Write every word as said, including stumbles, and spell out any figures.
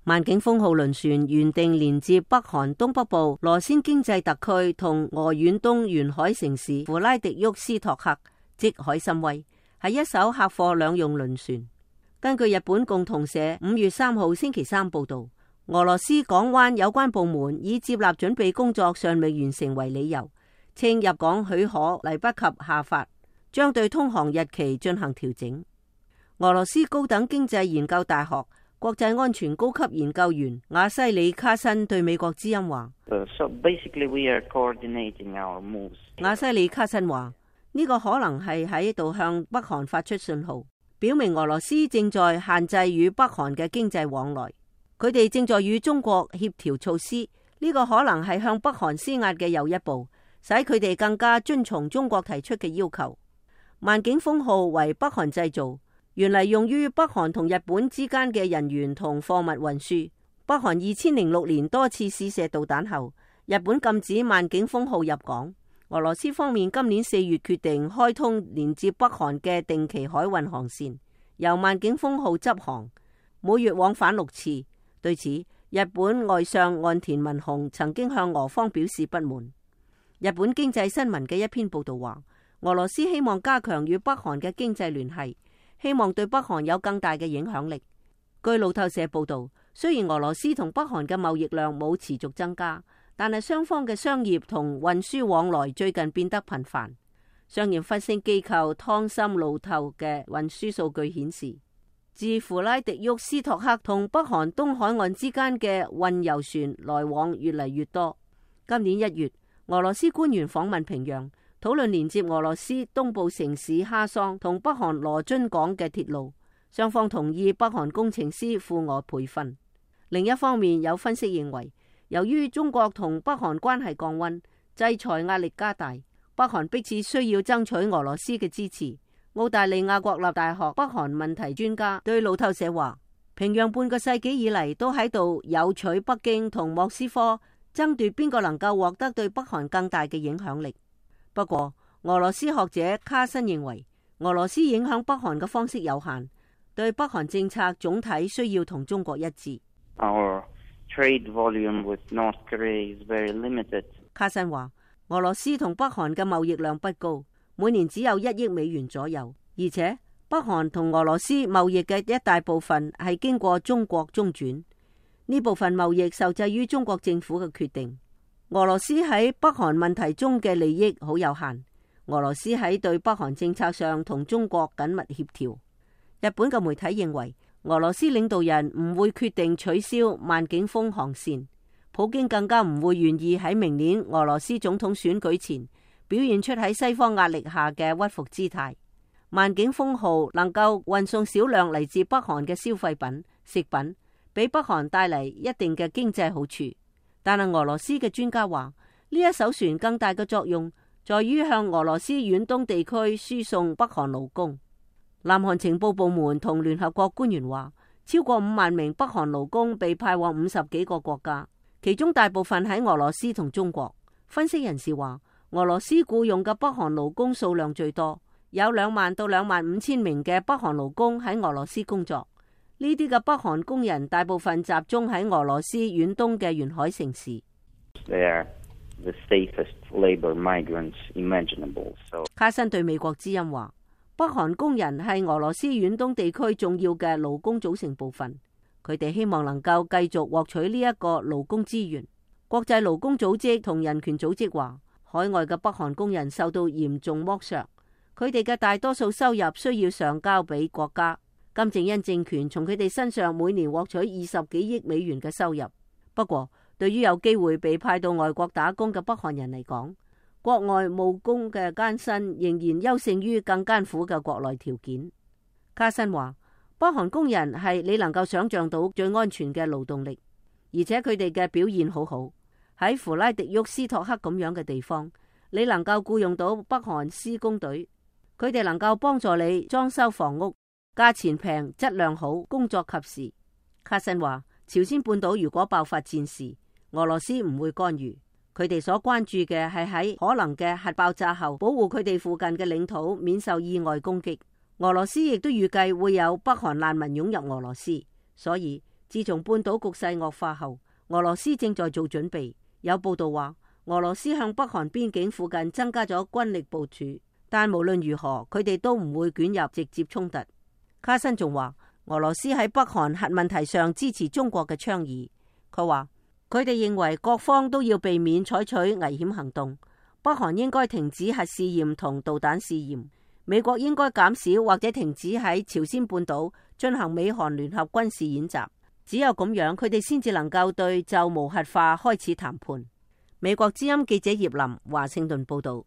萬景峰號輪船原定連接北韓東北部羅先經濟特區同俄遠東沿海城市弗拉迪沃斯托克，即海參崴，係一艘客貨兩用輪船。根據日本共同社五月三號星期三報道，俄羅斯港灣有關部門以接納準備工作尚未完成為理由，稱入港許可嚟不及下發，將對通航日期進行調整。俄羅斯高等經濟研究大學國際安全高級研究員瓦西里卡申對美國之音話：uh, so basically we are coordinating our moves. 瓦西里卡申話：呢個可能係喺度向北韓發出信號，表明俄羅斯正在限制與北韓嘅經濟往來。佢哋正在與中國協調措施，呢個可能係向北韓施壓嘅又一步，使佢哋更加遵從中國提出嘅要求。萬景峰號為北韓製造，原嚟用於北韓同日本之間嘅人員同貨物運輸。北韓二千零六年多次試射導彈後，日本禁止萬景峰號入港。俄羅斯方面今年四月決定開通連接北韓嘅定期海運航線，由萬景峰號執航，每月往返六次。對此，日本外相岸田文雄曾經向俄方表示不滿。日本經濟新聞嘅一篇報道話，俄羅斯希望加強與北韓嘅經濟聯繫，希望對北韓有更大嘅影響力。據路透社報道，雖然俄羅斯同北韓嘅貿易量冇持續增加，但係雙方嘅商業同運輸往來最近變得頻繁。商業分析機構湯森路透嘅運輸數據顯示，自弗拉迪沃斯托克同北韓東海岸之間嘅運油船來往越嚟越多。今年一月，俄羅斯官員訪問平壤，討論連接俄羅斯東部城市哈桑同北韓羅津港嘅鐵路，雙方同意北韓工程師赴俄培訓。另一方面，有分析認為，由於中國同北韓關係降溫，制裁壓力加大，北韓迫切需要爭取俄羅斯嘅支持。澳大利亞國立大學北韓問題專家對路透社話，平壤半個世紀以嚟都喺度誘取北京同莫斯科爭奪邊個能夠獲得對北韓更大嘅影響力。不過，俄羅斯學者卡申認為，俄羅斯影響北韓嘅方式有限，對北韓政策總體需要同中國一致。Our trade volume with North Korea is very limited. 卡申話，俄羅斯同北韓嘅貿易量不高，每年只有一億美元左右，而且北韓同俄羅斯貿易嘅一大部分係經過中國中轉，呢部分貿易受制於中國政府嘅決定。俄羅斯喺北韓問題中嘅利益好有限，俄羅斯喺對北韓政策上同中國緊密協調。日本嘅媒體認為，俄羅斯領導人唔會決定取消萬景峰航線，普京更加唔會願意喺明年俄羅斯總統選舉前表現出喺西方壓力下嘅屈服姿態。萬景峰號能夠運送少量嚟自北韓嘅消費品、食品，俾北韓帶嚟一定嘅經濟好處。但係俄羅斯嘅專家話，呢一艘船更大嘅作用在於向俄羅斯遠東地區輸送北韓勞工。南韓情報部門同聯合國官員話，超過五萬名北韓勞工被派往五十幾個國家，其中大部分喺俄羅斯同中國。分析人士話，俄羅斯僱用嘅北韓勞工數量最多，有兩萬到兩萬五千名嘅北韓勞工喺俄羅斯工作。呢啲嘅北韓工人大部分集中喺俄羅斯遠東嘅沿海城市。They are the safest labor migrants imaginable. So... 卡申對美國之音話，北韓工人係俄羅斯遠東地區重要嘅勞工組成部分，佢哋希望能夠繼續獲取呢一個勞工資源。國際勞工組織同人權組織話，海外嘅北韓工人受到嚴重剝削，佢哋嘅大多數收入需要上交俾國家。金正恩政權從佢哋身上每年獲取二十幾億美元嘅收入。不過，對於有機會被派到外國打工嘅北韓人嚟講，國外務工嘅艱辛仍然優勝於更艱苦嘅國內條件。卡申話，北韓工人係你能夠想象到最安全嘅勞動力，而且佢哋嘅表現好好。喺弗拉迪沃斯托克咁樣嘅地方，你能夠僱用到北韓施工隊，佢哋能夠幫助你裝修房屋，價錢平，質量好，工作及時。卡申話，朝鮮半島如果爆發戰事，俄羅斯唔會干預，佢哋所關注嘅係喺可能嘅核爆炸後，保護佢哋附近嘅領土免受意外攻擊。俄羅斯亦都預計會有北韓難民湧入俄羅斯，所以自從半島局勢惡化後，俄羅斯正在做準備。有報道話，俄羅斯向北韓邊境附近增加咗軍力部署，但無論如何，佢哋都唔會捲入直接衝突。卡申仲話，俄羅斯喺北韓核問題上支持中國嘅倡議。佢話，佢哋認為各方都要避免採取危險行動，北韓應該停止核試驗同導彈試驗，美國應該減少或者停止喺朝鮮半島進行美韓聯合軍事演習。只有咁樣，佢哋先至能夠對就無核化開始談判。美國之音記者葉林華盛頓報道。